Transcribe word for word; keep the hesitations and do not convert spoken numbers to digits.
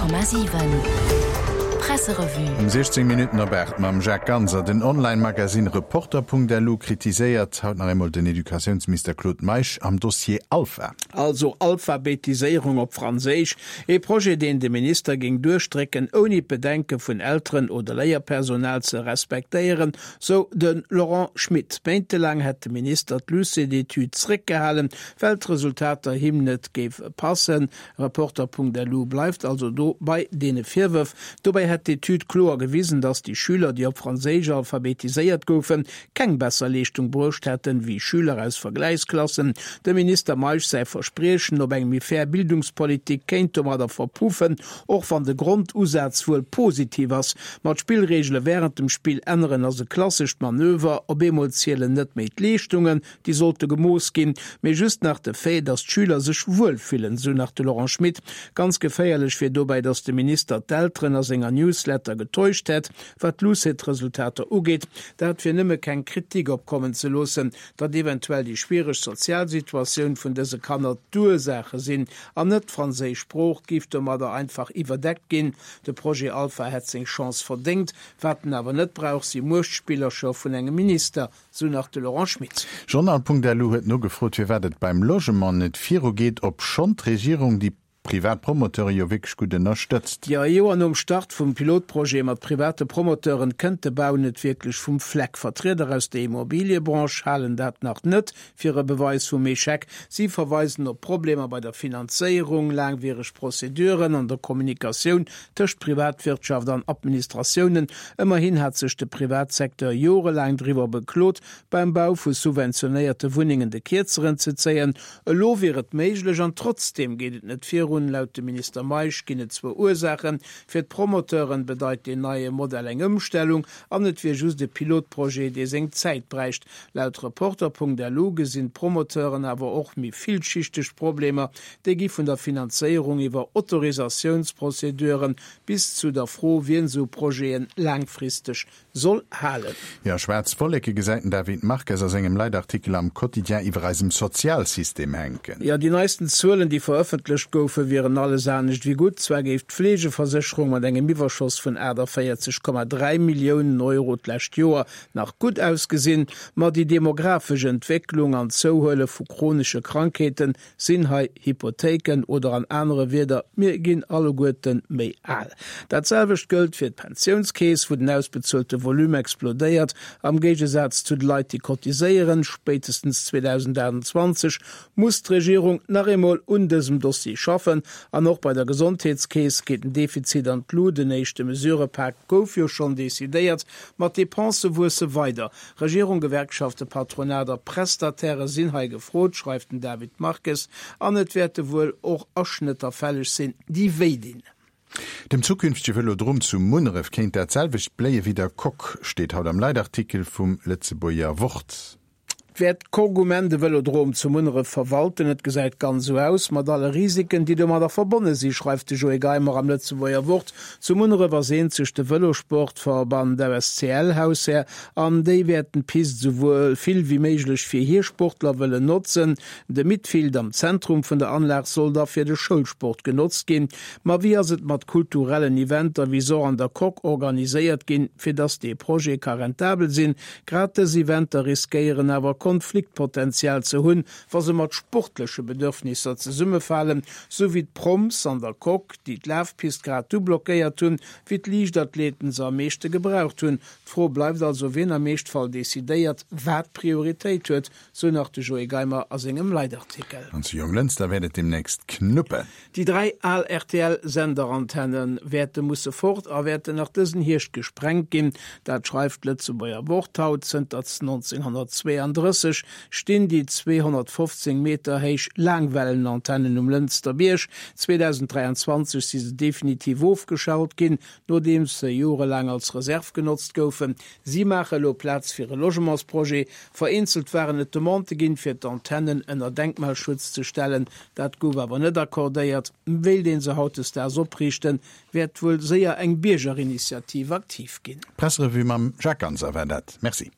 Komma siwen Presserevue. Um siechzéng Minutten op aacht mam Jacques Ganser. Den Online-Magasinn Reporter.lu kritiséiert haut nach eemol den Educatiounsminister Claude Meisch am Dossier Alpha. Also Alphabetiséierung op Franséisch, ee Projet, deen de Minister géing duerchdrécken, ouni d'Bedenke vun Elteren oder Léierpersonal ze respektéieren, sou de Laurent Schmit. Méintelaang hätt de Minister d'Lucet-Etüd zréckgehalen, well d'Resultater him net géife passen. Reporter.lu bleift also do bei deene Virwërf. Dobäi hätt d'Etüd kloer gewisen, datt déi Schüler, déi op Franséisch alphabetiséiert goufen, keng besser Leeschtung bruecht hätten, wéi Schüler aus Vergläichsklassen. Dem Minister Meisch säi Verspriechen op eng méi fair Bildungspolitik kéint domadder verpuffen, och wann de Grondusaz wuel positiv ass. Ma d'Spillreegele wärend dem Spill änneren ass e klassescht Manöver. Op eemol zielen net méi d'Leeschtungen, déi sollte gemooss ginn, mee just nach de Fait, datt d'Schüler sech wuel fillen, sou nach de Laurent Schmit. Ganz geféierlech wier dobäi, datt de Minister d'Elteren a senger Newsletter getäuscht hätt, wat d'Lucet-Resultater ugeet. Dat fir nëmme keng Kritik opkommen ze loossen, datt eventuell déi schwiereg sozial Situatioun vun dëse Kanner d'Ursaache sinn an net d'franséisch Sprooch, géif domadder einfach iwwerdeckt ginn. De Projet Alpha hätt seng Chance verdéngt. Wat en awer net brauch, si Muechtspillercher vun engem Minister, sou nach de Laurent Schmit. Journal.lu huet nogefrot, firwat et beim Logement net virugeet, obschonn d'Regierung déi privat Promoteure jo wierklech gutt ënnerstëtzt. Jo, ee Joer nom Start vum Pilotprojet mat private Promoteuren kënnt de Bau net wierklech vum Fleck. Vertrieder aus der Immobiliëbranche halen dat nach net fir e Beweis vum Echec. Si verweisen op Problemer bei der Finanzéierung, laangwiereg Prozeduren an der Kommunikatioun tëscht Privatwirtschaft an Administratiounen. Ëmmerhin hat sech de Privatsecteur jorelaang driwwer beklot, beim Bau vu subventionéierte Wunnengen de Kierzeren ze zéien. Elo wier et méiglech an trotzdeem geet et net virun. Laut dem Minister Meisch ginn et zwou Ursaachen, Fir d'Promoteuren bedeit deen neie Modell eng Ëmstellung an et wier just e Pilotprojet, dee seng Zäit bräicht. Laut Reporter.lu gesinn d'Promoteuren awer och méi villschichteg Problemer. Déi gi vun der Finanzéierung iwwer Autorisatiounsprozeduren bis zu der Fro, wien esou Projete laangfristeg soll halen. Jo, schwaarz Wolleke gesäit den David Marques a sengem Leitartikel am Quotidien iwwer eisem Sozialsystem hänken. Jo, déi neisten Zuelen, déi verëffentlecht goufen, wieren alles anescht wéi gutt. Zwar géif d'Fleegeversécherung mat engem Iwwerschoss vun aachtavéierzeg Komma dräi Milliounen Euro d'lescht Joer nach gutt ausgesinn, ma déi demografesch Entwécklung an d'Zouhuele vu chronesche Krankheete sinn hei Hypothéiken oder an anere Wierder, mir ginn alleguerte méi al. Dat selwecht gëllt fir d'Pensiounskeess, wou den ausbezuelte Volume explodéiert, am Géigesaz zu de Leit, déi cotiséieren. Spéitestens zweedausendachtundzwanzeg muss d'Regierung nach eemol un dësem Dossier schaffen. An och bei der Gesondheetskeess geet den Defizit an d'Lut. En éischte Mesurëpak gouf jo schonn decidéiert, ma d'Depensë wuesse weider. Regierung, Gewerkschaften, Patronat a Prestataire sinn hei gefrot, schreift den David Marques. An et wäerte wuel och Aschnëtter fälleg sinn, déi wéi dinn. Dem zukünftege Vëlodrom zu Munneref kéint dat selwecht bléie wéi der Coque, steet haut am Leitartikel vum Lëtzebuerger Wort. Wäert d'Coque um Enn de Vëlodrom zu Munneref verwalten? Et gesäit ganz esou aus, mat alle Risiken, déi domadder verbonne si, schreift de Joé Geimer am Lëtzebuerger Wort. Zu Munneref ass eenzeg de Vëlosportverband A S C L Haushär an déi wäerten d'Pist esou vill wéi méiglech fir hir Sportler wëllen notzen. De Midfield am Zentrum vun der Anlag soll da fir de Schoulsport genotzt ginn. Ma wéi ass et mat kulturellen Eventer, wéi se och an der Coque organiséiert ginn, fir dass dee Projet ka rentabel sinn? Grad dës Eventer riskéieren awer Konfliktpotenzial ze hunn, wa se mat sportleche Bedürfnisser zesummefalen, sou wéi d'Proms an der Coque, déi d'Lafpist grad du blockéiert hunn, wéi d'Liichtathleten se am meeschte gebraucht hunn. D'Fro bleift also, wien am Eeschtfall decidéiert, wat Prioritéit huet, sou nach de Joé Geimer a sengem Leitartikel. An zu Jonglënster wäert et deemnächst knuppen. Déi dräi al R T L-Senderantenne wäerte musse fort a wäerten nach dësen Hierscht gesprengt ginn. Dat schreift d'Lëtzebuerger Wort haut. Zënter nonzénghonnertzweeandrësseg stinn déi zweehonnertfofzéng Meter héich Laangwellenantennen um Lënster Bierg. zweedausenddräianzwanzeg si se definitiv ofgeschalt ginn, nodeems se jorelaang als Reserv genotzt goufen. Si maache elo Plaz fir e Logementsprojet. Vereenzelt waren et Demandë ginn, fir d'Antennen ënner Denkmalschutz ze stellen. Dat gouf awer net accordéiert. Wéilt een se hautdesdaags opriichten, wäert wuel séier eng Biergerinitiativ aktiv ginn. D'Presserevue mam Jacques Ganser war dat. Merci.